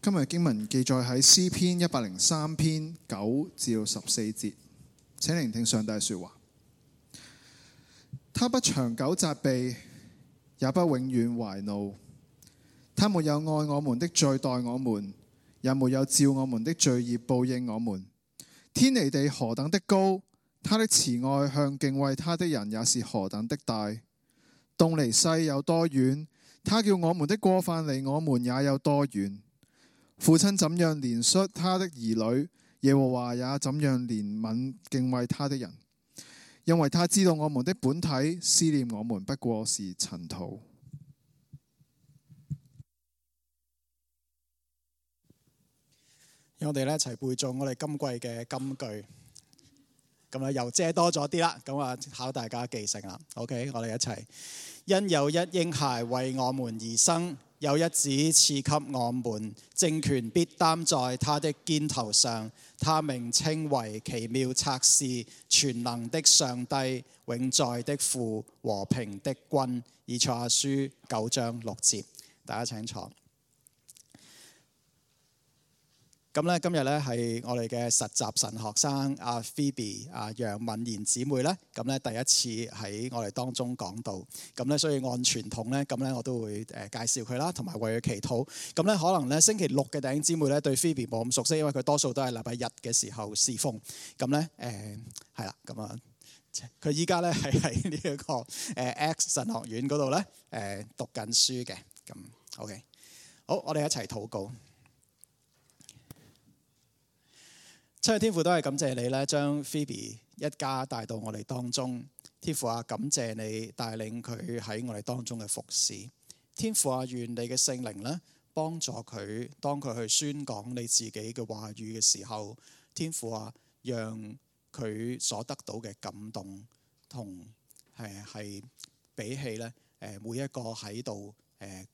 今日經文記載喺詩篇103篇9至14節，請聆聽上帝說話。他不長久責備，也不永遠懷怒。他沒有愛我們的罪待我們，也沒有照我們的罪孽報應我們。天離地何等的高，他的慈愛向敬畏他的人也是何等的大。東離西有多遠，他叫我們的過犯離我們也有多遠。父親怎樣憐恤他的兒女，耶和華也怎樣憐憫敬畏他的人。因為他知道我們的本體，思念我們不過是塵土。讓我哋一齊背誦我哋今季嘅金句，咁又遮多咗啲啦，咁考大家記性啦。OK， 我哋一齊。因有一嬰孩為我們而生，有一子賜給我們，政權必擔在他的肩頭上。他名稱為奇妙策士、全能的上帝、永在的父、和平的君。以賽亞書9章6節，大家請坐。咁咧，今日咧係我哋嘅實習神學生阿 Phoebe 楊敏賢姊妹咧，咁咧第一次喺我哋當中講道，咁咧所以按傳統咧，咁咧我都會介紹佢啦，同埋為佢祈禱。咁咧可能咧星期六嘅弟兄姊妹咧對 Phoebe 冇咁熟悉，因為佢多數都係禮拜日嘅時候侍奉。咁咧係啦，咁佢依家咧係喺呢一個X 神學院嗰度咧讀緊書嘅。咁 OK， 好，我哋一齊禱告。親愛天父，都係感謝你咧，將 Phoebe 一家帶到我哋當中。天父啊，感謝你帶領佢喺我哋當中嘅服侍。天父啊，願你嘅聖靈咧幫助佢，當佢去宣講你自己嘅話語嘅時候，天父啊，讓佢所得到嘅感動同係比起咧每一個喺度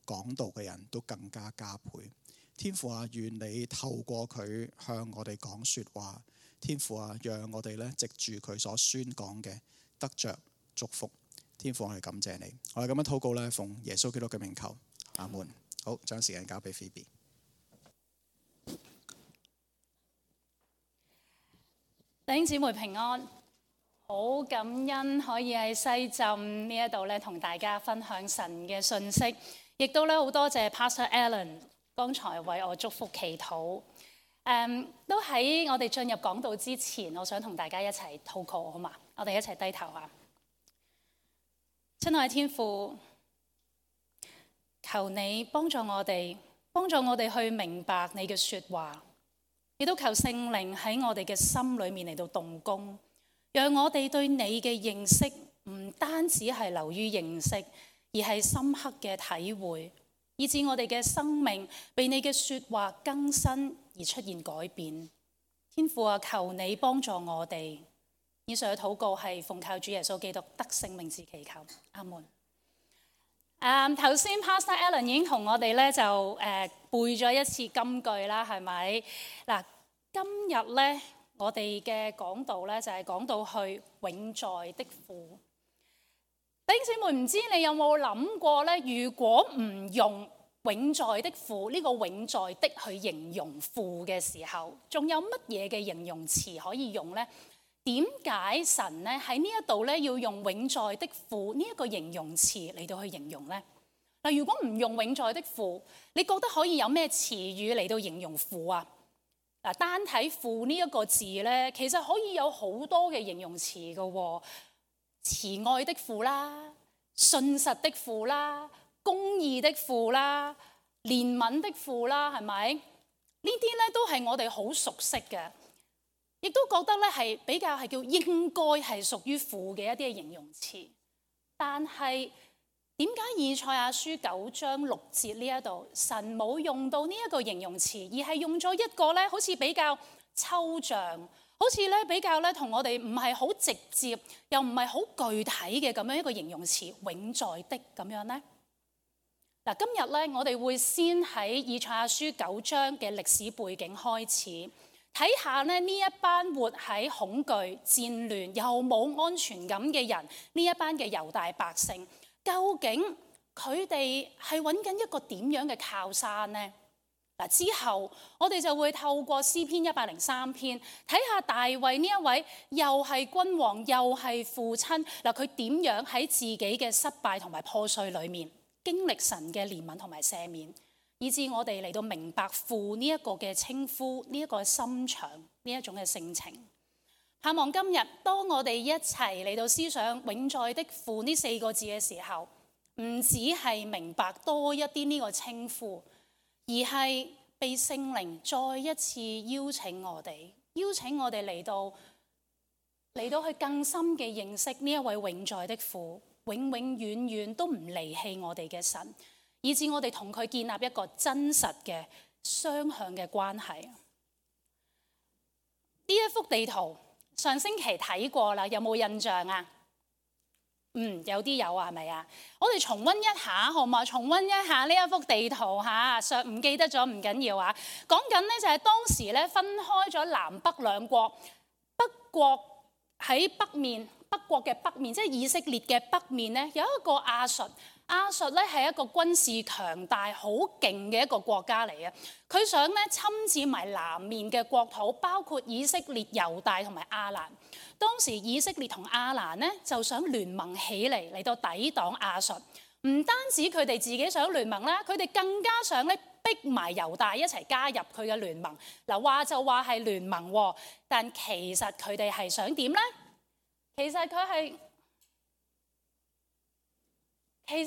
講道嘅人都更加加倍。天父啊，願你透過佢向我哋講說話。天父啊，讓我哋咧藉住佢所宣講嘅得着祝福。天父，我哋感謝你。我哋咁樣禱告咧，奉耶穌基督嘅名求，阿門。好，將時間交俾 Phoebe。弟兄姊妹平安，好感恩可以喺西浸呢一度咧同大家分享神嘅信息，亦都咧好多謝 Pastor Alan。剛才為我祝福祈禱，都喺我哋進入講道之前，我想同大家一齊禱告，好嘛？我哋一齊低頭啊！親愛天父，求你幫助我哋去明白你嘅說話，亦都求聖靈喺我哋嘅心裏面嚟到動工，讓我哋對你嘅認識唔單止係流於認識，而係深刻嘅體會。以致我哋嘅生命被你嘅說話更新而出現改變。天父啊，求你幫助我哋。以上嘅禱告係奉靠主耶穌基督得勝名字祈求，阿門。頭先 Pastor Alan 已經同我哋咧就背咗一次金句啦，係咪？嗱，今日咧我哋嘅講道咧就係講到去永在的父。弟兄姊妹，唔知你有冇諗過咧？如果唔用永在的父呢個永在的去形容父嘅時候，仲有乜嘢嘅形容詞可以用呢？點解神咧喺呢一度咧要用永在的父呢一個形容詞嚟到去形容呢？嗱，如果唔用永在的父，你覺得可以有咩詞語嚟到形容父啊？嗱，單睇父呢一個字咧，其實可以有好多嘅形容詞㗎喎。慈愛的父啦，信實的父啦，公義的父啦，憐憫的父啦，係咪？呢啲咧都係我哋好熟悉嘅，亦都覺得咧係比較係叫應該係屬於父嘅一啲嘅形容詞。但係點解以賽亞書9章6節呢一度神冇用到呢一個形容詞，而係用咗一個咧好似比較抽象，好似咧比較咧同我哋唔係好直接，又唔係好具體嘅咁樣一個形容詞，永在的咁樣呢？嗱，今日咧我哋會先喺以賽亞書9章嘅歷史背景開始，睇下咧呢一班活喺恐懼、戰亂又冇安全感嘅人，呢一班嘅猶大百姓，究竟佢哋係揾緊一個點樣嘅靠山呢？嗱，之後我哋就會透過詩篇103篇睇下大衛呢一位又係君王又係父親，嗱，佢點樣喺自己嘅失敗同埋破碎裏面經歷神嘅憐憫同埋赦免，以致我哋嚟到明白父呢一個嘅稱呼，呢一個心腸，呢一種嘅性情。盼望今日當我哋一齊嚟到思想永在的父呢4個字嘅時候，唔只係明白多一啲呢個稱呼，而係被聖靈再一次邀請我哋嚟到去更深嘅認識呢一位永在的父，永永遠遠都唔離棄我哋嘅神，以致我哋同佢建立一個真實嘅雙向嘅關係。呢一幅地圖上星期睇過啦，有冇印象啊？有啲有啊，係咪啊？我哋重溫一下好嘛？重溫一下呢一幅地圖嚇，上唔記得咗唔緊要啊。講緊呢就係當時咧分開咗南北兩國，北國喺北面，北國嘅北面即係以色列嘅北面咧，有一個亞述。亞述咧係一個軍事強大、好勁嘅一個國家嚟嘅。佢想咧侵佔埋南面嘅國土，包括以色列、猶大同埋亞蘭。當時以色列同亞蘭咧就想聯盟起嚟到抵擋亞述。唔單止佢哋自己想聯盟啦，佢哋更加想咧逼埋猶大一齊加入佢嘅聯盟。嗱，話就話係聯盟喎，但其實佢哋係想點咧？其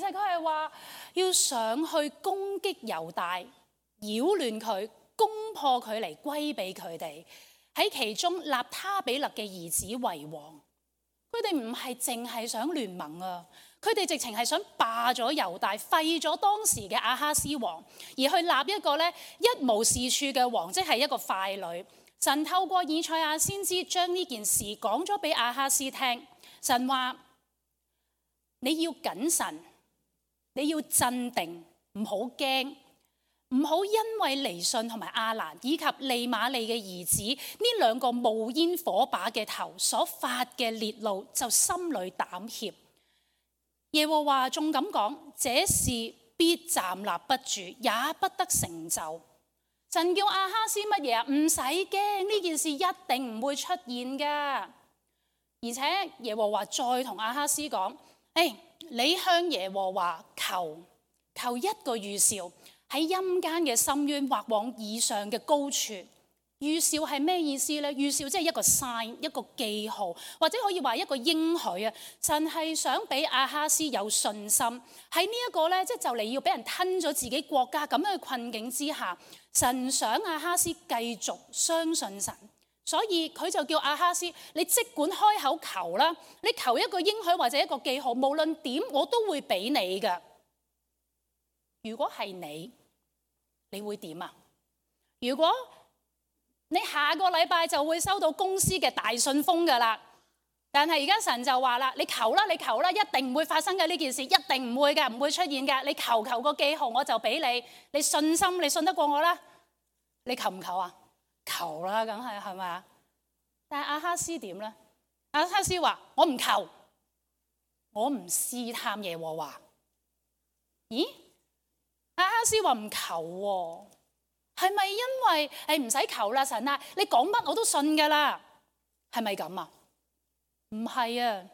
實佢係話要上去攻擊猶大，擾亂佢，攻破佢嚟歸俾佢哋。喺其中立他比勒嘅兒子為王。佢哋唔係淨係想聯盟啊，佢哋直情係想霸咗猶大，廢咗當時嘅亞哈斯王，而去立一個咧一無是處嘅王，即係一個傀儡。神透過以賽亞先知將呢件事講咗俾亞哈斯聽。神話你要謹慎，你要鎮定，唔好驚，唔好因為尼順同埋亞蘭以及利瑪利嘅兒子呢兩個冒煙火把嘅頭所發嘅烈怒，就心裏膽怯。耶和華仲咁講，這事必站立不住，也不得成就。神叫亞哈斯乜嘢啊？唔使驚，呢件事一定唔會出現噶。而且耶和華再同亞哈斯講，你向耶和華求一個預兆，喺陰間嘅深淵或往以上嘅高處。預兆係咩意思呢？預兆即係一個 sign， 一個記號，或者可以話一個應許啊。神係想俾亞哈斯有信心，喺呢一個咧，即係就嚟要俾人吞咗自己國家咁樣嘅困境之下，神想亞哈斯繼續相信神。所以佢就叫亞哈斯，你即管開口求啦，你求一個應許或者一個記號，無論點我都會俾你㗎。如果係你會點啊？如果你下個禮拜就會收到公司嘅大信封㗎啦，但係而家神就話啦，你求啦，一定唔會發生嘅呢件事，一定唔會㗎，唔會出現㗎。你求個記號我就俾你，你信心，你信得過我啦？你求唔求啊？求啦，梗係咪啊？但係亞哈斯點咧？亞哈斯話：我唔求，我唔試探耶和華。咦？亞哈斯話唔求喎，係咪因為唔使求啦？神啊，你講乜我都信㗎啦，係咪咁啊？唔係啊，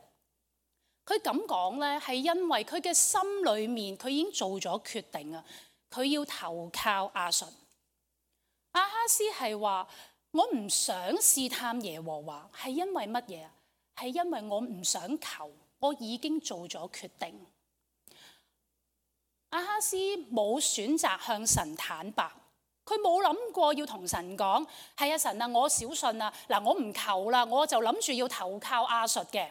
佢咁講咧係因為佢嘅心裏面佢已經做咗決定啊，佢要投靠亞述。亞哈斯係話：我唔想試探耶和華，係因為乜嘢啊？係因為我唔想求，我已經做咗決定。亞哈斯冇選擇向神坦白，佢冇諗過要同神講：係啊，神啊，我小信啊，嗱，我唔求啦，我就諗住要投靠亞述嘅。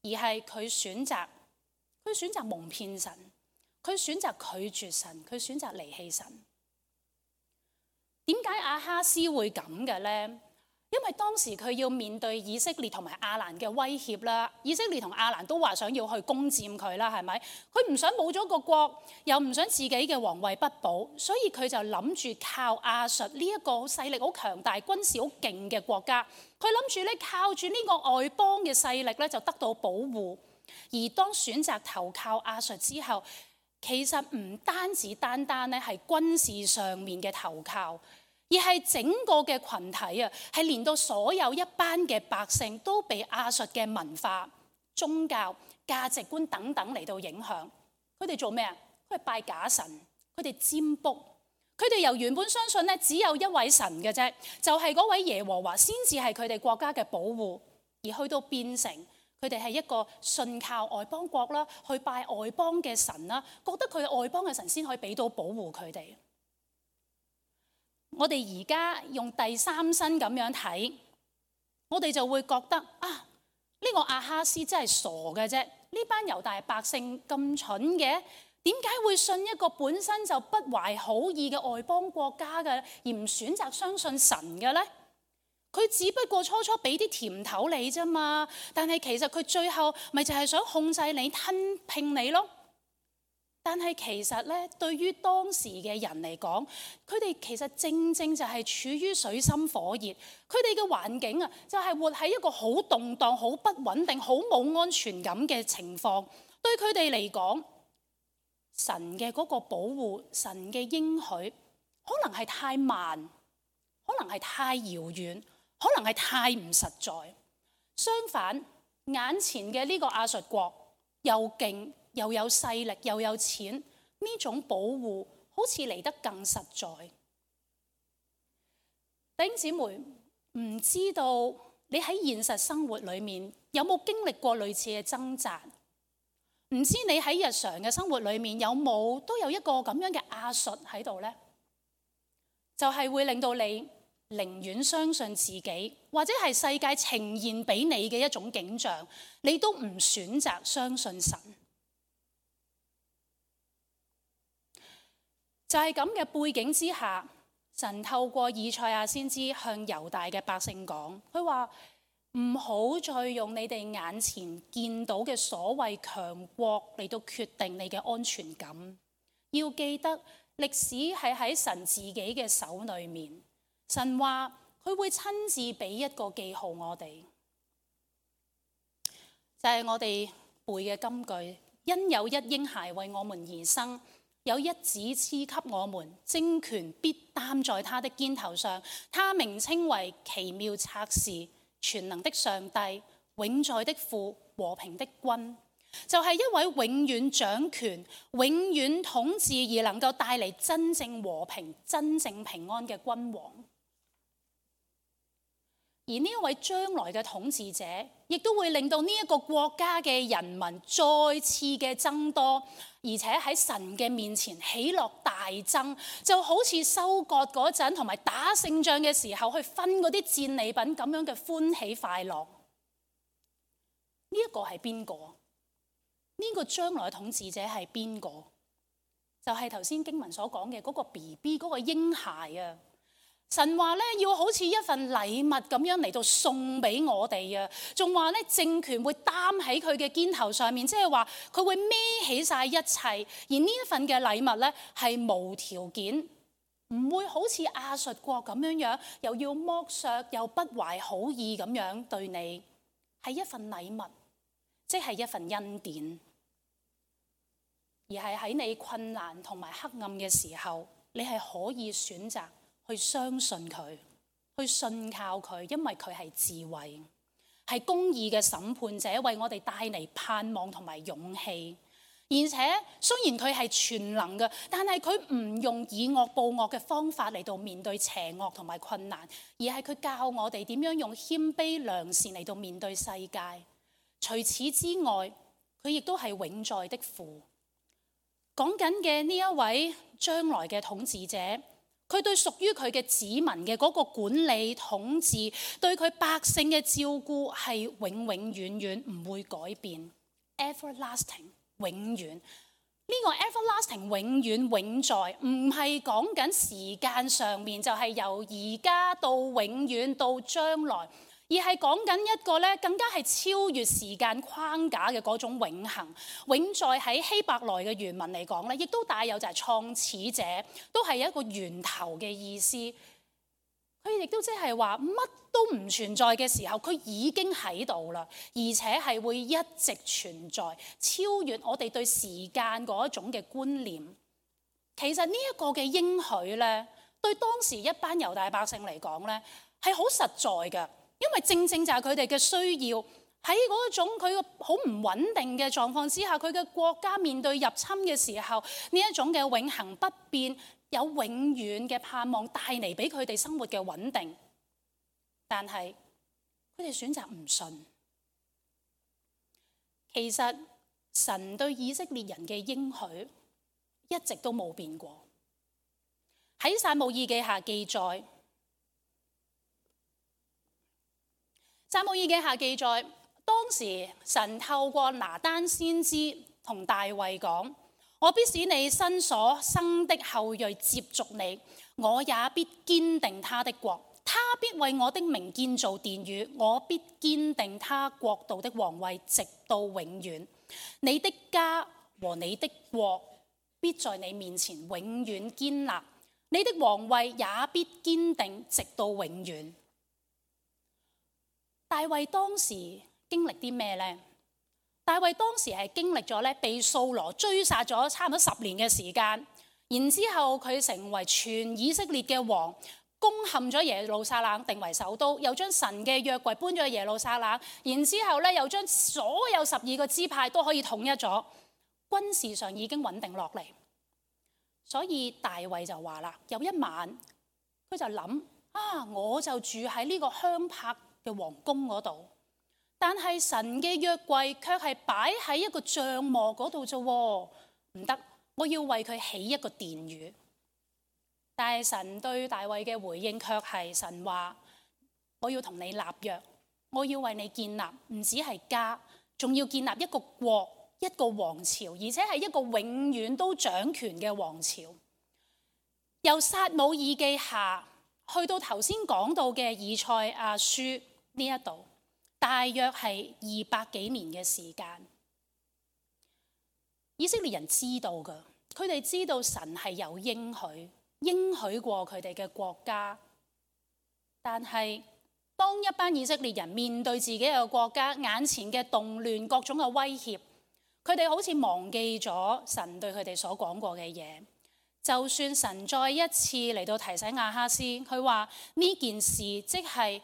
而係佢選擇蒙騙神，佢選擇拒絕神，佢選擇離棄神。點解亞哈斯會咁嘅呢？因為當時佢要面對以色列同埋亞蘭嘅威脅啦，以色列同亞蘭都話想要去攻佔佢啦，係咪？佢唔想冇咗個國，又唔想自己嘅皇位不保，所以佢就諗住靠亞述呢一個勢力好強大、軍事好勁嘅國家，佢諗住咧靠住呢個外邦嘅勢力咧就得到保護。而當選擇投靠亞述之後，其實唔單止單咧係軍事上面嘅投靠，而係整個嘅群體啊，係連到所有一班嘅百姓都被亞述嘅文化、宗教、價值觀等等嚟到影響。佢哋做咩啊？佢哋拜假神，佢哋占卜，佢哋由原本相信咧只有一位神嘅啫，就係嗰位耶和華先至係佢哋國家嘅保護，而去到變成佢哋係一個信靠外邦國啦，去拜外邦嘅神啦，覺得佢外邦嘅神先可以俾到保護佢哋。我哋而家用第三身咁樣睇，我哋就會覺得啊，呢個亞哈斯真係傻嘅啫，呢班猶大百姓咁蠢嘅，點解會信一個本身就不懷好意嘅外邦國家嘅，而唔選擇相信神嘅呢？佢只不過初初俾啲甜頭你啫嘛，但係其實佢最後咪就係想控制你、吞併你咯。但係其實咧，對於當時嘅人嚟講，佢哋其實正正就係處於水深火熱，佢哋嘅環境啊，就係活喺一個好動盪、好不穩定、好冇安全感嘅情況。對佢哋嚟講，神嘅嗰個保護、神嘅應許，可能係太慢，可能係太遙遠，可能係太唔實在。相反，眼前嘅呢個亞述國又勁又有勢力又有錢，呢種保護好似嚟得更實在。弟兄姊妹，唔知道你喺現實生活裏面有冇經歷過類似嘅掙扎？唔知你喺日常嘅生活裏面有冇都有一個咁樣嘅亞述喺度呢？就係會令到你寧願相信自己，或者係世界呈現俾你嘅一種景象，你都唔選擇相信神。就係咁嘅背景之下，神透過以賽亞先知向猶大嘅百姓講，佢話唔好再用你哋眼前見到嘅所謂強國嚟到決定你嘅安全感。要記得歷史係喺神自己嘅手裏面。神話佢會親自俾一個記號我哋，就係我哋背嘅金句：因有一嬰孩為我們而生，有一子賜給我們，政權必擔在他的肩頭上，他名稱為奇妙策士、全能的上帝、永在的父、和平的君。就係一位永遠掌權、永遠統治而能夠帶嚟真正和平、真正平安嘅君王。而呢一位將來嘅統治者，亦都會令到呢一個國家嘅人民再次嘅增多，而且喺神嘅面前喜樂大增，就好似收割嗰陣同埋打勝仗嘅時候去分嗰啲戰利品咁樣嘅歡喜快樂。呢一個係邊個？呢個將來嘅統治者係邊個？就係頭先經文所講嘅嗰個 BB 嗰個嬰孩啊！神話咧要好似一份禮物咁樣嚟到送俾我哋啊，仲話咧政權會擔喺佢嘅肩頭上面，即係話佢會孭起晒一切，而呢一份嘅禮物咧係無條件，唔會好似亞述國咁樣又要剝削又不懷好意咁樣對你，係一份禮物，即係一份恩典，而係喺你困難同埋黑暗嘅時候，你係可以選擇去相信佢，去信靠佢，因為佢係智慧，係公義嘅審判者，為我哋帶嚟盼望同埋勇氣。而且雖然佢係全能嘅，但係佢唔用以惡報惡嘅方法嚟到面對邪惡同埋困難，而係佢教我哋點樣用謙卑良善嚟到面對世界。除此之外，佢亦都係永在的父。講緊嘅呢一位將來嘅統治者，佢對屬於佢嘅子民嘅嗰個管理統治，對佢百姓嘅照顧係永永遠遠唔會改變 ，everlasting 永遠。呢個 everlasting 永遠永在，唔係講緊時間上面，就係由而家到永遠到將來，而係講緊一個咧更加係超越時間框架嘅嗰種永恆。永在喺希伯來嘅原文嚟講咧，亦都帶有就係創始者，都係一個源頭嘅意思。佢亦都即係話乜都唔存在嘅時候，佢已經喺度啦，而且係會一直存在，超越我哋對時間嗰一種嘅觀念。其實呢一個嘅應許咧，對當時一班猶大百姓嚟講咧，係好實在嘅，因為正正就係佢哋嘅需要。喺嗰種佢個好唔穩定嘅狀況之下，佢嘅國家面對入侵嘅時候，呢一種嘅永恆不變，有永遠嘅盼望帶嚟俾佢哋生活嘅穩定。但係佢哋選擇唔信。其實神對以色列人嘅應許一直都冇變過。喺撒母耳記下記載，撒母耳記下記載，當時神透過拿單先知同大衛講：我必使你身所生的後裔接續你，我也必堅定他的國，他必為我的名建造殿宇，我必堅定他國度的王位，直到永遠。你的家和你的國必在你面前永遠堅立，你的王位也必堅定，直到永遠。大衛當時經歷啲咩呢？大衛當時係經歷咗咧被掃羅追殺咗差唔多10年嘅時間，然之後佢成為全以色列嘅王，攻陷咗耶路撒冷定為首都，又將神嘅約櫃搬咗去耶路撒冷，然之後咧又將所有12個支派都可以統一咗，軍事上已經穩定落嚟。所以大衛就話啦，有一晚佢就諗我就住喺呢個香柏嘅皇宮嗰度，但係神嘅約櫃卻係擺喺一個帳幕嗰度啫，唔得，我要為佢起一個殿宇。但係神對大衛嘅回應卻係神話：我要同你立約，我要為你建立，唔止係家，仲要建立一個國，一個王朝，而且係一個永遠都掌權嘅王朝。由撒母耳記下去到頭先講到嘅以賽亞書呢一度，大約係200幾年嘅時間。以色列人知道㗎，佢哋知道神係有應許過佢哋嘅國家。但係當一班以色列人面對自己嘅國家眼前嘅動亂、各種嘅威脅，佢哋好似忘記咗神對佢哋所講過嘅嘢。就算神再一次嚟到提醒亞哈斯，佢話呢件事即係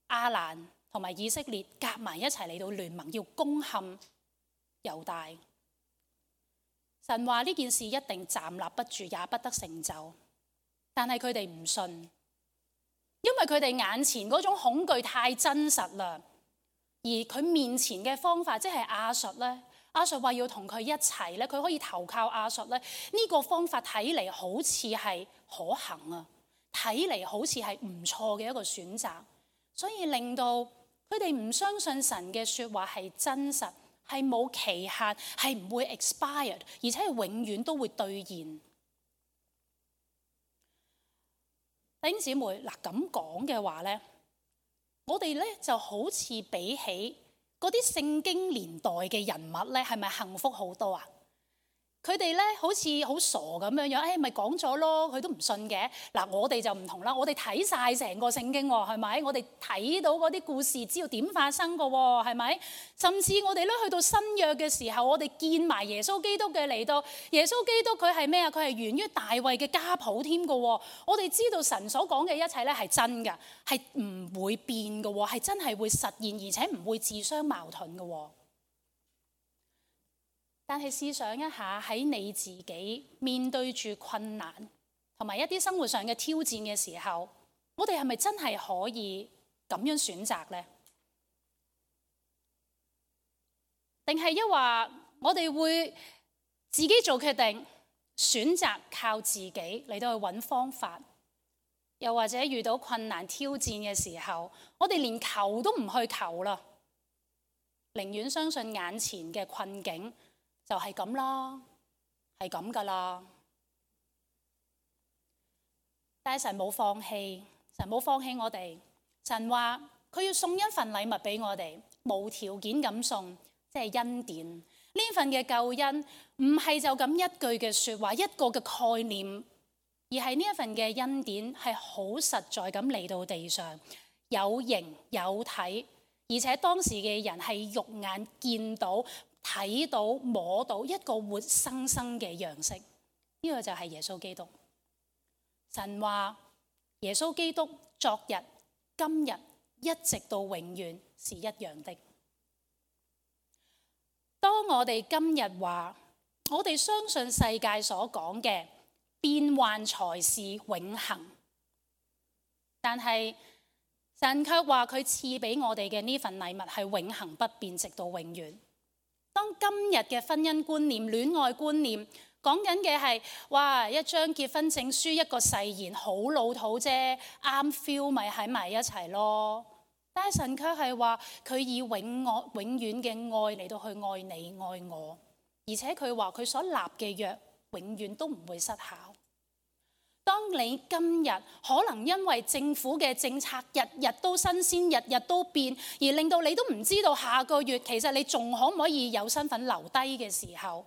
亞蘭同埋以色列夾埋一齊嚟到聯盟，要攻陷猶大。神話呢件事一定站立不住，也不得成就。但係佢哋唔信，因為佢哋眼前嗰種恐懼太真實啦。而佢面前嘅方法，即係亞述咧。亞述話要同佢一齊咧，佢可以投靠亞述咧。呢個方法睇嚟好似係可行啊，睇嚟好似係唔錯嘅一個選擇，所以令到佢哋唔相信神嘅説話係真實，係冇期限，係唔會 expired， 而且係永遠都會兌現。弟兄姊妹，嗱咁講嘅話咧，我哋咧就好似比起嗰啲聖經年代嘅人物咧，係咪幸福好多啊？佢哋咧好似好傻咁樣樣，咪講咗咯，佢都唔信嘅。嗱，我哋就唔同啦，我哋睇晒成個聖經喎，係咪？我哋睇到嗰啲故事，知道點發生嘅喎，係咪？甚至我哋咧去到新約嘅時候，我哋見埋耶穌基督嘅嚟到，耶穌基督佢係咩啊？佢係源於大衛嘅家譜添嘅喎。我哋知道神所講嘅一切咧係真嘅，係唔會變嘅喎，係真係會實現，而且唔會自相矛盾嘅喎。但係試想一下，喺你自己面對住困難同埋一啲生活上嘅挑戰嘅時候，我哋係咪真係可以咁樣選擇呢？定係一話我哋會自己做決定，選擇靠自己嚟到去揾方法，又或者遇到困難挑戰嘅時候，我哋連求都唔去求啦，寧願相信眼前嘅困境就係咁啦，係咁噶啦。但係神冇放棄，神冇放棄我哋。神話佢要送一份禮物俾我哋，無條件咁送，即係恩典。呢份嘅救恩唔係就咁一句嘅説話，一個嘅概念而係呢一份嘅恩典係好實在咁嚟到地上，有形有體，而且當時嘅人係肉眼見到、睇到、摸到一個活生生嘅樣式。呢個就係耶穌基督。神話耶穌基督昨日、今日一直到永遠是一樣的。當我哋今日話我哋相信世界所講嘅變幻才是永恆，但係神卻話佢賜俾我哋嘅呢份禮物係永恆不變，直到永遠。當今日嘅婚姻觀念、戀愛觀念講緊嘅係，哇，一張結婚證書、一個誓言，好老土啫，啱 feel 咪喺埋一齊咯。但係神卻係話佢以永遠嘅愛嚟到去愛你愛我，而且佢話佢所立嘅約永遠都唔會失效。當你今日可能因為政府嘅政策日日都新鮮、日日都變，而令到你都唔知道下個月其實你仲可唔可以有身份留低嘅時候，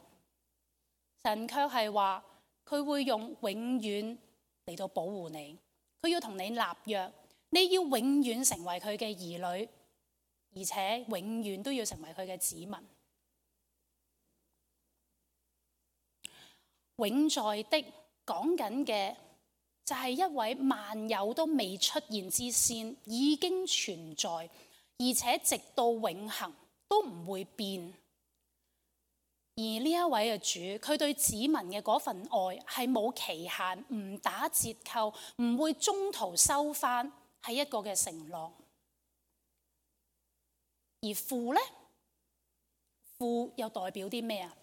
神卻係話佢會用永遠嚟到保護你，佢要同你立約，你要永遠成為佢嘅兒女，而且永遠都要成為佢嘅子民。永在的講緊嘅就係一位萬有都未出現之先，已經存在，而且直到永恆都唔會變。而呢一位嘅主，佢對子民嘅嗰份愛係冇期限，唔打折扣，唔會中途收翻，係一個嘅承諾。而父呢？父又代表啲咩啊？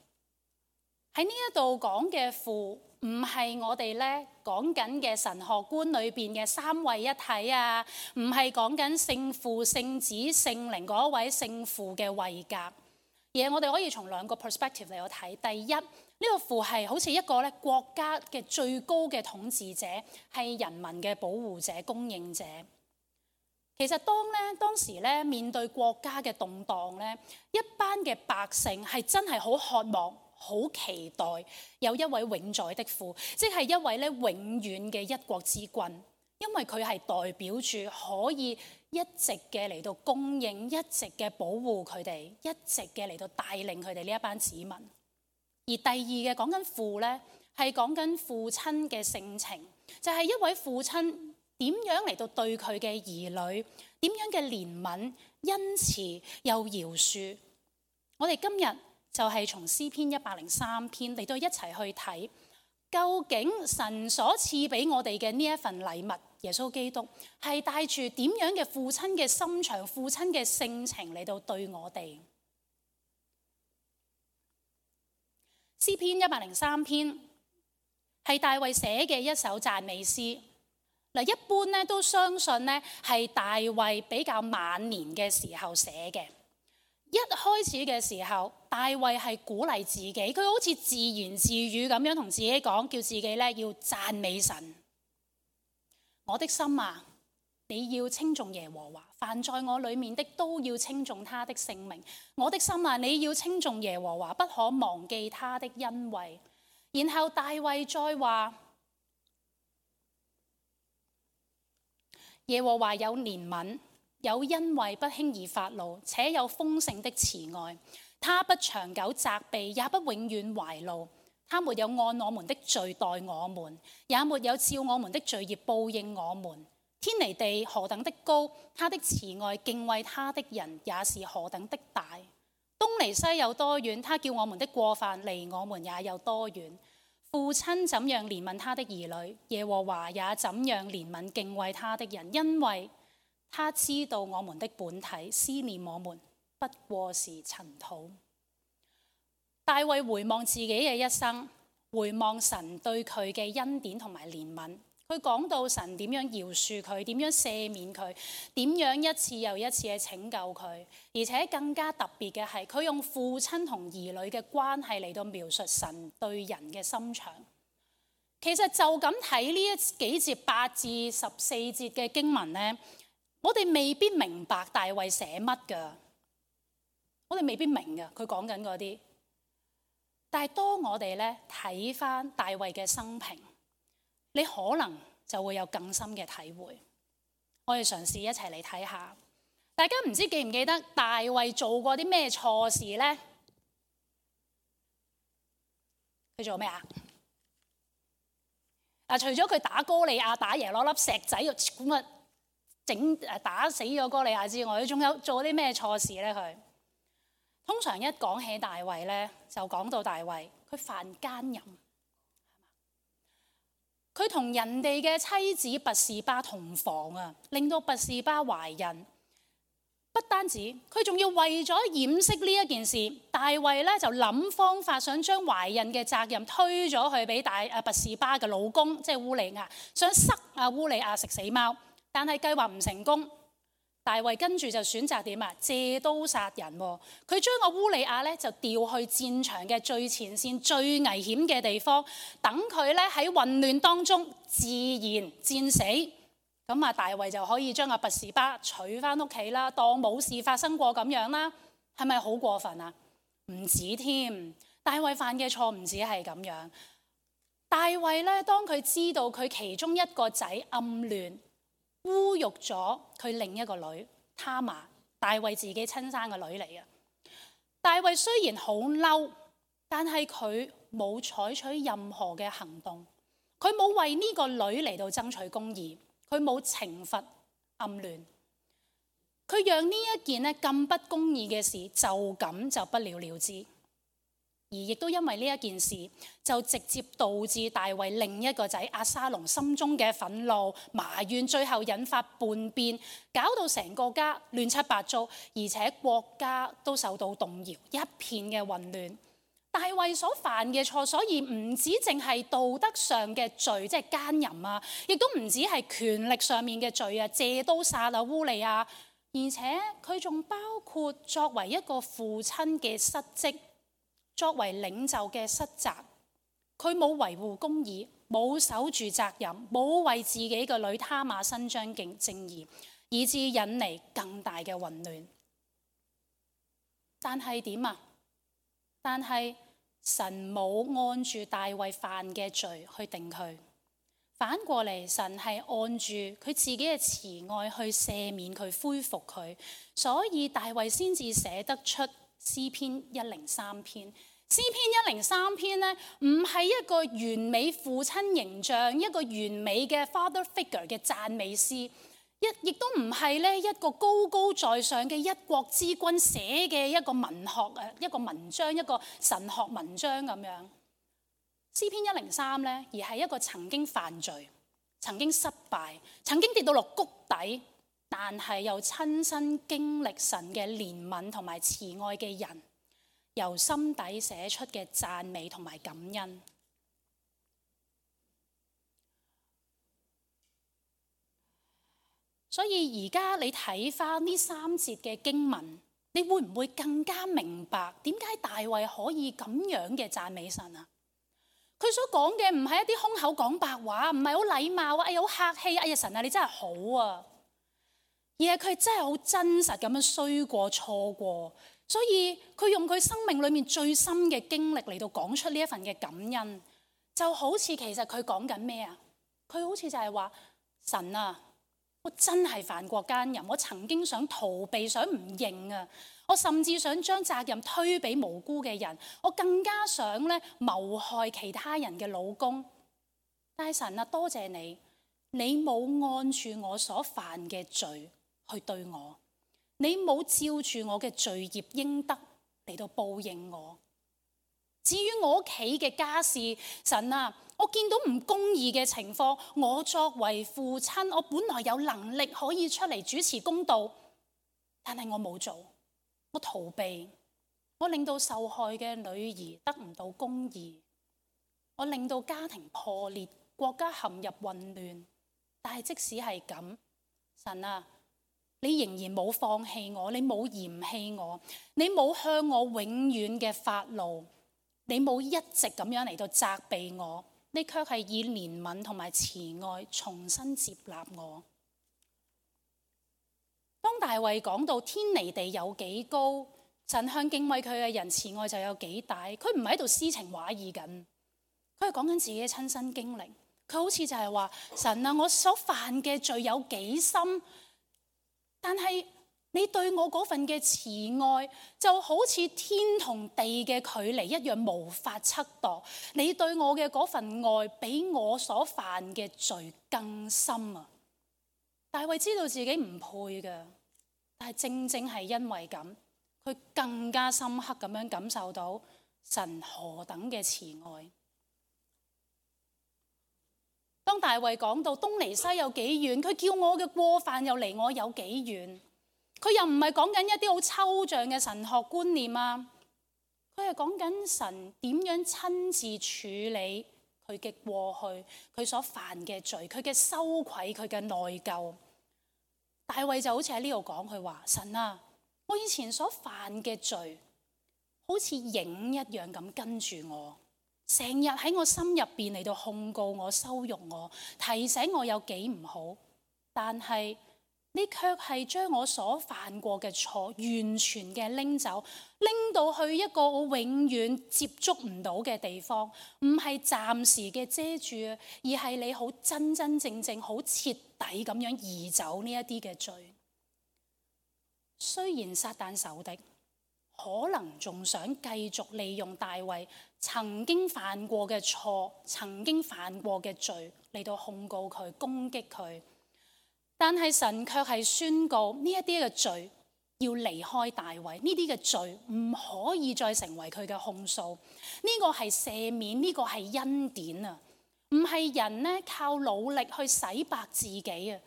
喺呢一度講嘅父，唔係我哋咧講緊嘅神學觀裏邊嘅三位一體啊，唔係講緊聖父、聖子、聖靈嗰位聖父嘅位格。而我哋可以從兩個 perspective 嚟到睇。第一，呢個父係好似一個咧國家嘅最高嘅統治者，係人民嘅保護者、供應者。其實當時咧面對國家嘅動盪咧，一班嘅百姓係真係好渴望、好期待有一位永在的父，即係一位咧永遠嘅一國之君，因為佢係代表住可以一直嘅嚟到供應，一直嘅保護佢哋，一直嘅嚟到帶領佢哋呢一班子民。而第二嘅講緊父咧，係講緊父親嘅性情，就係一位父親點樣嚟到對佢嘅兒女，點樣嘅憐憫、恩慈又饒恕。我哋今日就係從詩篇103篇嚟到一齊去睇，究竟神所賜俾我哋嘅呢一份禮物，耶穌基督係帶住點樣嘅父親嘅心腸、父親嘅性情嚟到對我哋。詩篇103篇係大衛寫嘅一首讚美詩。嗱，一般咧都相信咧係大衛比較晚年嘅時候寫嘅。一開始嘅時候，大衛係鼓勵自己，佢好似自言自語咁樣同自己講，叫自己咧要讚美神。我的心啊，你要稱頌耶和華，凡在我裡面的都要稱頌他的聖名。我的心啊，你要稱頌耶和華，不可忘記他的恩惠。然後大衛再話，耶和華有憐憫，有恩惠，不輕易發怒，且有豐盛的慈愛。他不長久責備，也不永遠懷怒。他沒有按我們的罪待我們，也沒有照我們的罪孽報應我們。天離地何等的高，他的慈愛敬畏他的人也是何等的大。東離西有多遠，他叫我們的過犯離我們也有多遠。父親怎樣憐憫他的兒女，耶和華也怎樣憐憫敬畏他的人，因為他知道我們的本體，思念我們不過是塵土。大衛回望自己嘅一生，回望神對佢嘅恩典同埋憐憫，佢講到神點樣饒恕佢，點樣赦免佢，點樣一次又一次嘅拯救佢，而且更加特別嘅係佢用父親同兒女嘅關係嚟到描述神對人嘅心腸。其實就咁睇呢幾節8至14節嘅經文呢，我哋未必明白大衛寫乜㗎，我哋未必明㗎佢講緊嗰啲。但係當我哋咧睇翻大衛嘅生平，你可能就會有更深嘅體會。我哋嘗試一齊嚟睇下，大家唔知記唔記得大衛做過啲咩錯事呢？佢做咩啊？除咗佢打哥利亞打贏攞粒石仔咁啊，打死咗哥利亞之外，佢仲有做啲咩錯事呢？佢通常一講起大衛呢，就講到大衛佢犯奸淫，佢同人哋嘅妻子拔示巴同房啊，令到拔示巴懷孕。不單止，佢仲要為咗掩飾呢一件事，大衛咧就諗方法想將懷孕嘅責任推咗去俾拔示巴嘅老公，即係烏利亞，想塞烏利亞食死貓，但係計劃唔成功。大衛跟住就選擇點啊？借刀殺人喎！佢將個烏利亞咧就調去戰場嘅最前線、最危險嘅地方，等佢咧喺混亂當中自然戰死。咁啊，大衛就可以將拔示巴娶翻屋企啦，當冇事發生過咁樣啦。係咪好過分啊？唔止添，大衛犯嘅錯唔止係咁樣。大衛咧，當佢知道佢其中一個仔暗戀侮辱咗佢另一個女他瑪，大衛自己親生嘅女嚟嘅。大衛雖然好嬲，但係佢冇採取任何嘅行動，佢冇為呢個女嚟到爭取公義，佢冇懲罰暗戀，佢讓呢一件咧咁不公義嘅事就咁就不了了之。而亦都因為呢一件事，就直接導致大衛另一個仔押沙龍心中嘅憤怒、埋怨，最後引發叛變，搞到成個家亂七八糟，而且國家都受到動搖，一片嘅混亂。大衛所犯嘅錯，所以唔止淨係道德上嘅罪，即係奸淫啊，亦都唔止係權力上面嘅罪啊，借刀殺烏利亞，而且佢仲包括作為一個父親嘅失職。作為領袖嘅失責，佢冇維護公義，冇守住責任，冇為自己嘅女他瑪伸張正義，以致引嚟更大嘅混亂。但係點啊？但係神冇按住大衛犯嘅罪去定佢，反過嚟神係按住佢自己嘅慈愛去赦免佢、恢復佢，所以大衛先至寫得出詩篇103篇。詩篇103篇咧，唔係一個完美父親形象、一個完美嘅 father figure 嘅讚美詩，亦都唔係咧一個高高在上嘅一國之君寫嘅一個文學一個文章、一個神學文章咁樣。詩篇103咧，而係一個曾經犯罪、曾經失敗、曾經跌到落谷底，但係又親身經歷神嘅憐憫同埋慈愛嘅人，由心底寫出嘅讚美同埋感恩。所以而家你睇翻呢3節嘅經文，你會唔會更加明白點解大衛可以咁樣嘅讚美神啊？佢所講嘅唔係一啲空口講白話，唔係好禮貌啊，好客氣，哎呀神啊你真係好啊，而係佢真係好真實咁樣衰過錯過。所以佢用佢生命裏面最深嘅經歷嚟到講出呢一份嘅感恩，就好似其實佢講緊咩啊？佢好似就係話神啊，我真係犯過奸淫，我曾經想逃避，想唔認啊，我甚至想將責任推俾無辜嘅人，我更加想咧謀害其他人嘅老公。但係神啊，多謝你，你冇按住我所犯嘅罪去對我。你冇照住我嘅罪孽應得嚟到報應我。至於我屋企嘅家事，神啊，我見到唔公義嘅情況，我作為父親，我本來有能力可以出嚟主持公道，但係我冇做，我逃避，我令到受害嘅女兒得唔到公義，我令到家庭破裂，國家陷入混亂。但係即使係咁，神啊，你仍然冇放棄我，你冇嫌棄我，你冇向我永遠嘅發怒，你冇一直咁樣嚟到責備我，你卻係以憐憫同埋慈愛重新接納我。當大衛講到天離地有幾高，神向敬畏佢嘅人慈愛就有幾大，佢唔係喺度詩情畫意緊，佢係講緊自己嘅親身經歷。佢好似就係話，神啊，我所犯嘅罪有幾深，但係你對我嗰份嘅慈愛就好似天同地嘅距離一樣，無法測度。你對我嘅嗰份愛比我所犯嘅罪更深啊！大衛知道自己唔配嘅，但係正正係因為咁，佢更加深刻咁樣感受到神何等嘅慈愛。當大衛講到東離西有幾遠，佢叫我嘅過犯又離我有幾遠，佢又唔係講緊一啲好抽象嘅神學觀念啊，佢係講緊神點樣親自處理佢嘅過去，佢所犯嘅罪，佢嘅羞愧，佢嘅內疚。大衛就好似喺呢度講，佢話，神啊，我以前所犯嘅罪好似影一樣咁跟住我，成日喺我心入邊嚟到控告我、羞辱我、提醒我有幾唔好，但係你卻係將我所犯過嘅錯完全嘅拎走，拎到去一個我永遠接觸唔到嘅地方，唔係暫時嘅遮住，而係你好真真正正、好徹底咁樣移走呢一啲嘅罪。雖然撒旦仇敵可能仲想繼續利用大衛曾經犯過嘅錯、曾經犯過嘅罪嚟到控告佢、攻擊佢，但係神卻係宣告呢一啲嘅罪要離開大衛，呢啲嘅罪唔可以再成為佢嘅控訴。呢個係赦免，呢個係恩典啊，唔係人呢靠努力去洗白自己啊，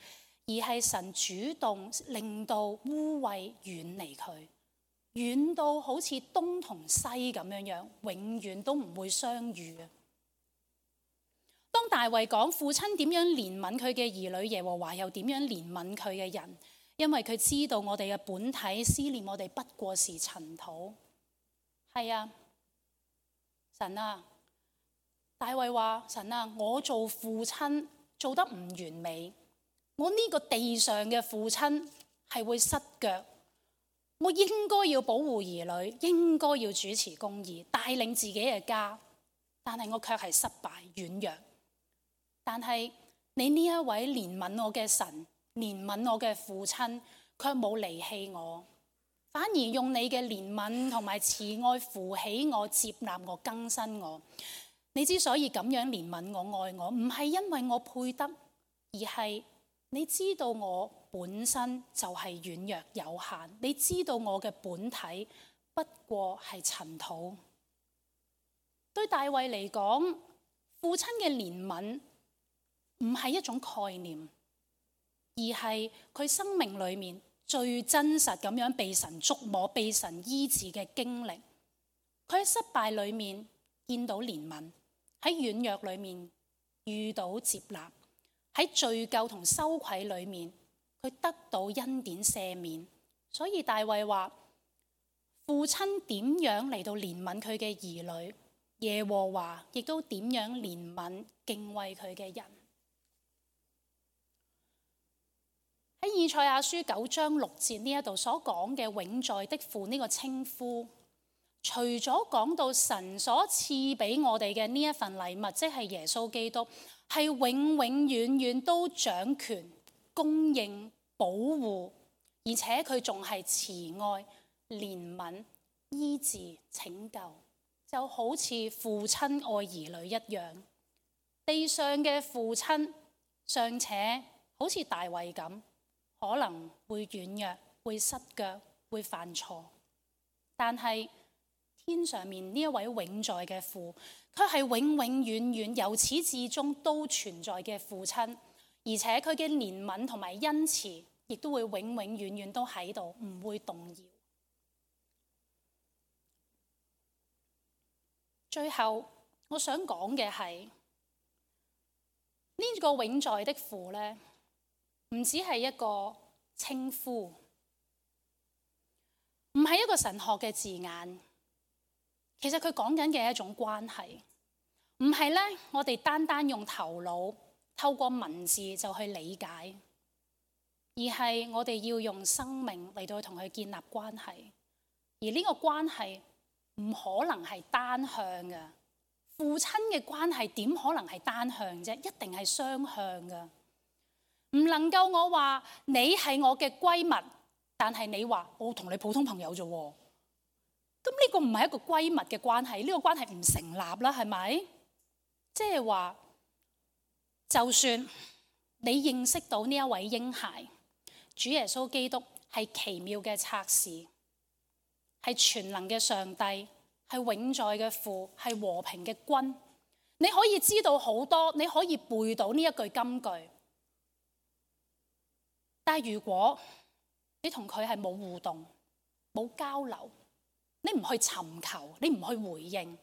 而係神主動令到污穢遠離佢，遠到好似東同西咁樣樣，永遠都唔會相遇啊。當大衛講父親點樣憐憫佢嘅兒女，耶和華又點樣憐憫佢嘅人，因為佢知道我哋嘅本體思念我哋不過是塵土。係啊，神啊，大衛話，神啊，我做父親做得唔完美，我呢個地上嘅父親係會失腳，我應該要保護兒女，應該要主持公義，帶領自己嘅家，但係我卻係失敗軟弱。但係你呢一位憐憫我嘅神，憐憫我嘅父親，卻冇離棄我，反而用你嘅憐憫同埋慈愛扶起我、接納我、更新我。你之所以咁樣憐憫我、愛我，唔係因為我配得，而係你知道我本身就係軟弱有限，你知道我嘅本體不過係塵土。對大衛嚟講，父親嘅憐憫唔係一種概念，而係佢生命裏面最真實咁樣被神觸摸、被神醫治嘅經歷。佢喺失敗裏面見到憐憫，喺軟弱裏面遇到接納，喺罪疚同羞愧裏面佢得到恩典赦免。所以大衛話，父親點樣嚟到憐憫佢嘅兒女，耶和華亦都點樣憐憫敬畏佢嘅人。喺以賽亞書9章6節呢一度所講嘅永在的父呢個稱呼，除咗講到神所賜俾我哋嘅呢一份禮物，即係耶穌基督，係永永遠遠都掌權、供應、保護，而且佢仲係慈愛、憐憫、醫治、拯救，就好似父親愛兒女一樣。地上嘅父親尚且好似大衛咁，可能會軟弱、會失腳、會犯錯，但係天上面呢一位永在嘅父，佢係永永遠遠由始至終都存在嘅父親，而且佢嘅憐憫同埋恩慈，亦都會永永遠遠都喺度，唔會動搖。最後我想講嘅係呢個永在的父呢，唔只係一個稱呼，唔係一個神學嘅字眼。其實佢講緊嘅係一種關係，唔係咧我哋單單用頭腦透過文字就去理解，而係我哋要用生命嚟到同佢建立關係。而呢個關係唔可能係單向嘅，父親嘅關係點可能係單向啫？一定係雙向噶。唔能夠我話你係我嘅閨蜜，但係你話我同你普通朋友啫。咁呢個唔係一個閨蜜嘅關係，呢個關係唔成立啦，係咪？即係話，就算你認識到呢一位嬰孩，主耶穌基督係奇妙嘅策士，係全能嘅上帝，係永在嘅父，係和平嘅君，你可以知道好多，你可以背到呢一句金句。但係如果你同佢係冇互動、冇交流，你唔去尋求，你唔去回應，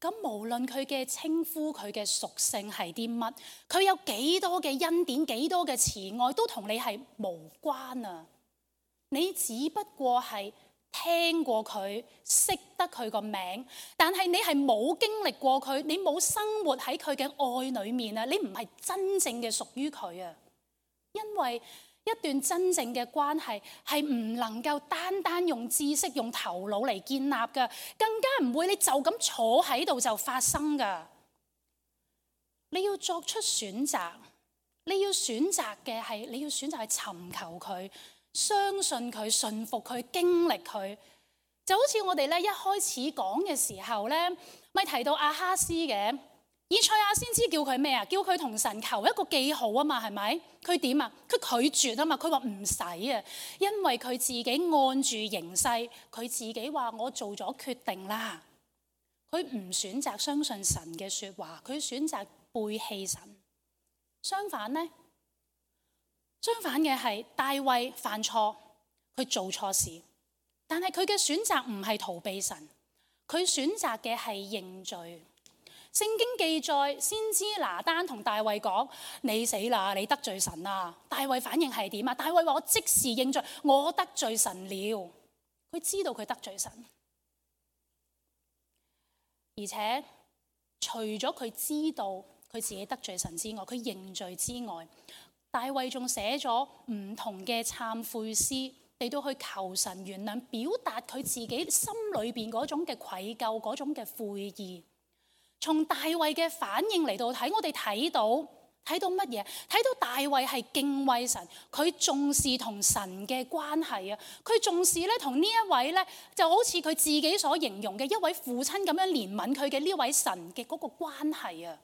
咁無論佢嘅稱呼、佢嘅屬性係啲乜，佢有幾多嘅恩典、幾多嘅慈愛，都同你係無關啊！你只不過係聽過佢，識得佢個名，但係你係冇經歷過佢，你冇生活喺佢嘅愛裡面啊！你唔係真正嘅屬於佢啊！因為一段真正嘅關係係唔能夠單單用知識、用頭腦嚟建立㗎，更加唔會你就咁坐喺度就發生㗎。你要作出選擇，你要選擇嘅係你要選擇去尋求佢、相信佢、信服佢、經歷佢。就好似我哋咧一開始講嘅時候咧，咪提到亞哈斯嘅。以賽亞先知叫佢咩啊？叫佢同神求一個記號啊嘛，係咪？佢點啊？佢拒絕啊嘛，佢話唔使啊，因為佢自己按住形勢，佢自己話我做咗決定啦。佢唔選擇相信神嘅說話，佢選擇背棄神。相反呢？相反嘅係大衛犯錯，佢做錯事，但係佢嘅選擇唔係逃避神，佢選擇嘅係認罪。聖經記載，先知拿單同大衛講：你死啦，你得罪神啦。大衛反應係點啊？大衛話：我即時認罪，我得罪神了。佢知道佢得罪神，而且除咗佢知道佢自己得罪神之外，佢認罪之外，大衛仲寫咗唔同嘅懺悔詩嚟到去求神原諒，表達佢自己心裏邊嗰種嘅愧疚，嗰種嘅悔意。從大衛嘅反應嚟到睇，我哋睇到乜嘢？睇到大衛係敬畏神，佢重視同神嘅關係啊！佢重視咧同呢一位咧，就好似佢自己所形容嘅一位父親咁樣憐憫佢嘅呢位神嘅嗰個關係啊！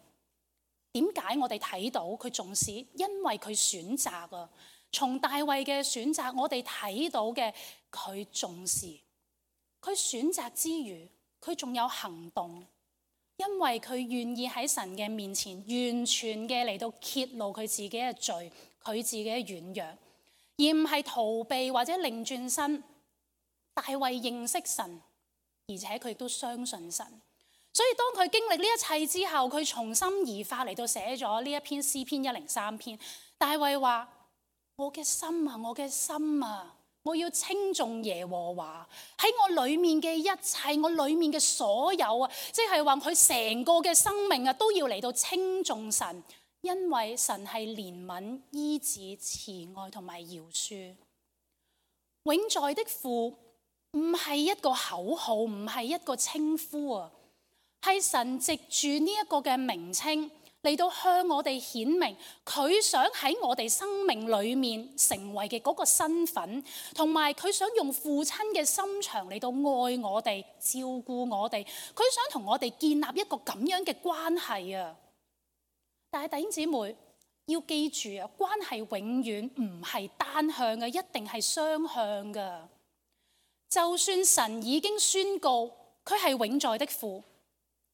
點解我哋睇到佢重視？因為佢選擇啊！從大衛嘅選擇，我哋睇到嘅佢重視，佢選擇之餘，佢仲有行動。因為佢願意喺神嘅面前完全嘅嚟到揭露佢自己嘅罪，佢自己嘅軟弱，而唔係逃避或者擰轉身。大衛認識神，而且佢亦都相信神，所以當佢經歷呢一切之後，佢從心而發嚟到寫咗呢一篇詩篇103篇。大衛話：我嘅心啊，我嘅心啊！我要稱頌耶和華，喺我裏面嘅一切，我裏面嘅所有啊，即係話佢成個嘅生命啊，都要嚟到稱頌神，因為神係憐憫、醫治、慈愛同埋饒恕。永在的父唔係一個口號，唔係一個稱呼啊，係神藉住呢一個嘅名稱嚟到向我哋顯明佢想喺我哋生命裏面成為嘅嗰個身份，同埋佢想用父親嘅心腸嚟到愛我哋、照顧我哋，佢想同我哋建立一個咁樣嘅關係啊！但係弟兄姊妹要記住啊，關係永遠唔係單向嘅，一定係雙向嘅。就算神已經宣告佢係永在的父，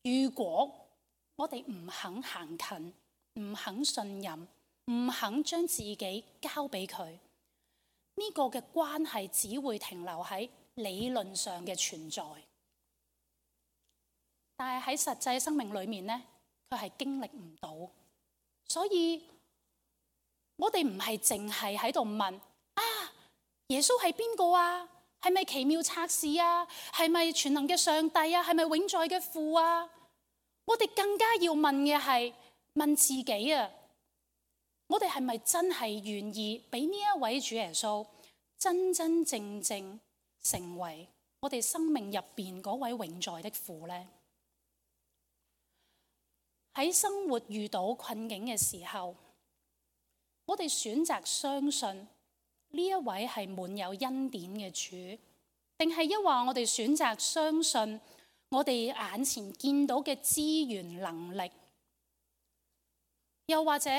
如果我哋唔肯行近，唔肯信任，唔肯將自己交俾佢，呢個嘅關係只會停留喺理論上嘅存在，但係喺實際生命裏面呢，佢係經歷唔到。所以我哋唔係淨係喺度問啊，耶穌係邊個啊？係咪奇妙策士啊？係咪全能嘅上帝啊？係咪永在嘅父啊？我哋更加要問嘅係問自己啊，我哋係咪真係願意俾呢一位主耶穌真真正正成為我哋生命入邊嗰位永在的父呢？喺生活遇到困境嘅時候，我哋選擇相信呢一位係滿有恩典嘅主，定係抑或我哋選擇相信我哋眼前見到嘅資源能力，又或者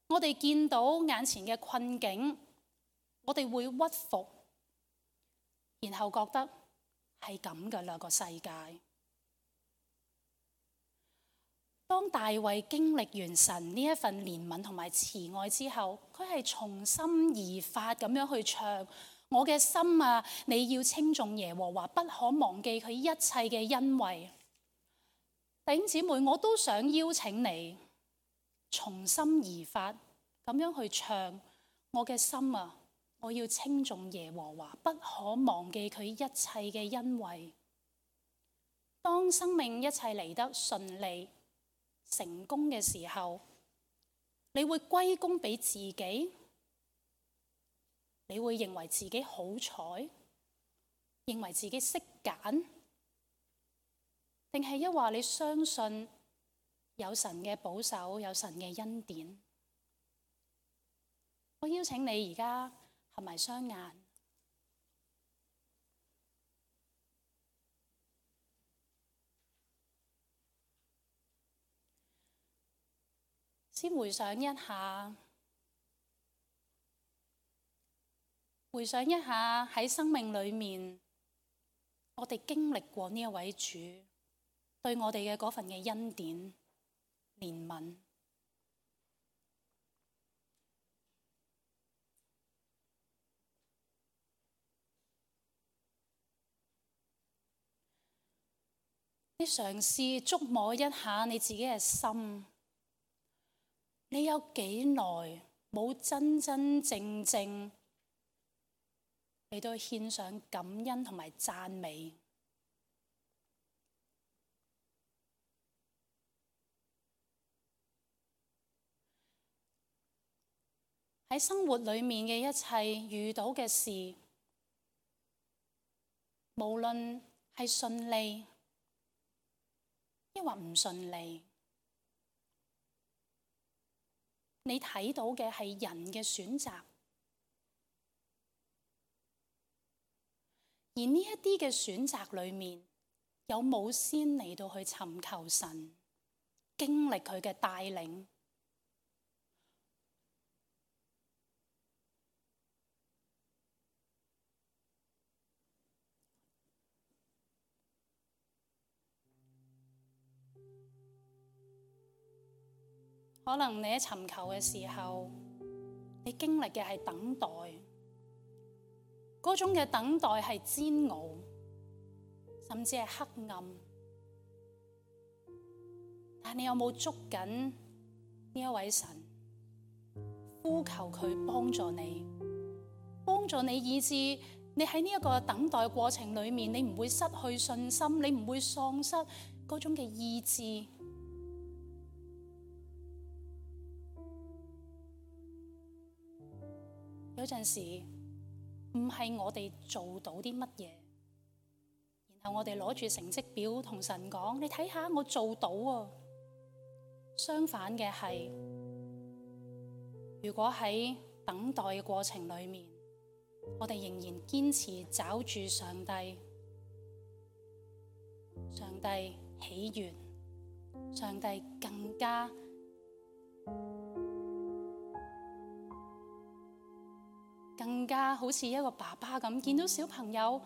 我哋見到眼前嘅困境，我哋會屈服，然後覺得係咁噶啦個世界。當大衛經歷完神呢一份憐憫同埋慈愛之後，佢係從心而發咁樣去唱：我嘅心啊，你要稱頌耶和華，不可忘記佢一切嘅恩惠。弟兄姊妹，我都想邀請你從心而發咁樣去唱：我嘅心啊，我要稱頌耶和華，不可忘記佢一切嘅恩惠。當生命一切嚟得順利成功嘅時候，你會歸功俾自己？你會認為自己好彩，認為自己識揀，定係一話你相信有神嘅保守，有神嘅恩典？我邀請你而家合埋雙眼，先回想一下喺生命裏面，我哋經歷過呢一位主對我哋嘅嗰份嘅恩典、憐憫。你嘗試觸摸一下你自己嘅心，你有幾耐冇真真正正嚟到獻上感恩同埋讚美？喺生活裏面嘅一切遇到嘅事，無論係順利抑或唔順利，你睇到嘅係人嘅選擇，而呢一啲嘅選擇裏面，有冇先嚟到去尋求神，經歷佢嘅帶領？可能你喺尋求嘅時候，你經歷嘅係等待，嗰種嘅等待係煎熬，甚至係黑暗。但你有冇捉緊呢一位神，呼求佢幫助你，以致你喺呢一個等待過程裏面，你唔會失去信心，你唔會喪失嗰種嘅意志。有陣時唔係我哋做到啲乜嘢，然後我哋攞住成績表同神講：你睇下我做到啊！相反嘅係，如果喺等待嘅過程裏面，我哋仍然堅持找住上帝喜悅，上帝更加好似一個爸爸咁，見到小朋友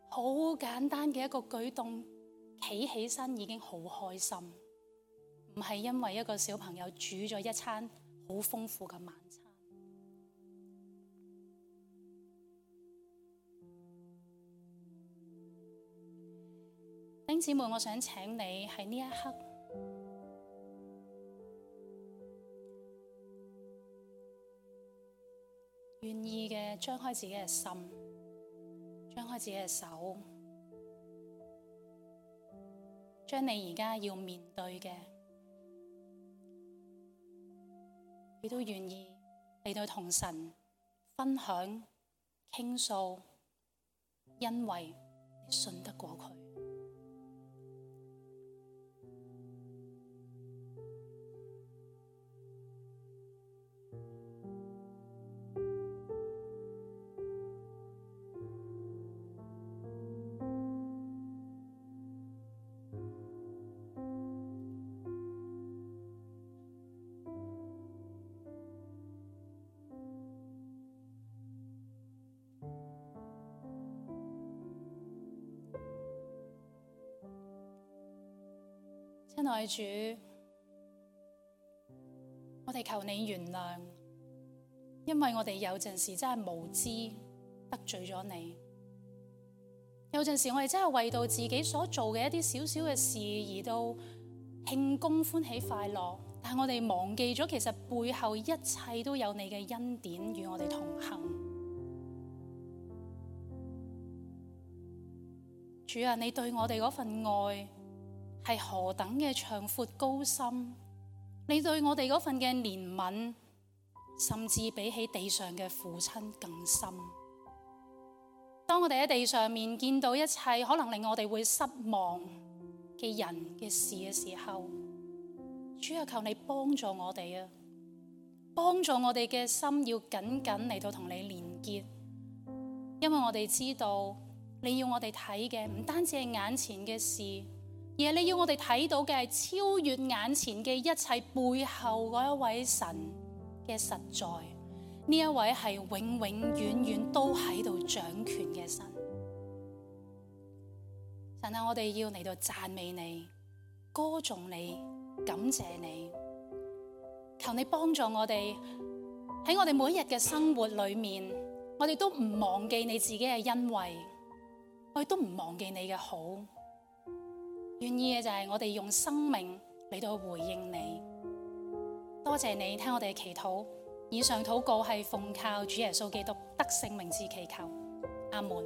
好簡單嘅一個舉動，企起身已經好開心，唔係因為一個小朋友煮咗一餐好豐富嘅晚餐。弟兄姊妹，我想請你喺呢一刻，願意嘅張開自己嘅心，張開自己嘅手，將你而家要面對嘅，你都願意嚟到同神分享、傾訴，因為你信得過佢。親愛主，我哋求你原諒，因為我哋有陣時真係無知得罪咗你。有陣時我哋真係為到自己所做嘅一啲小小嘅事而到慶功歡喜快樂，但係我哋忘記咗其實背後一切都有你嘅恩典與我哋同行。主啊，你對我哋嗰份愛係何等嘅長闊高深，你對我哋嗰份嘅憐憫，甚至比起地上嘅父親更深。當我哋喺地上面見到一切可能令我哋會失望嘅人嘅事嘅時候，主啊，求你幫助我哋啊，幫助我哋嘅心要緊緊嚟到同你連結，因為我哋知道你要我哋睇嘅唔單止係眼前嘅事，而係你要我哋睇到嘅係超越眼前嘅一切背後嗰一位神嘅實在。呢一位係永永遠遠都喺度掌權嘅神。神啊，我哋要嚟到讚美你、歌頌你、感謝你。求你幫助我哋喺我哋每一日嘅生活裏面，我哋都唔忘記你自己嘅恩惠，我哋都唔忘記你嘅好。願意嘅就係我哋用生命嚟到回應你。多謝你聽我哋嘅祈禱。以上禱告係奉靠主耶穌基督得勝名字祈求，阿門。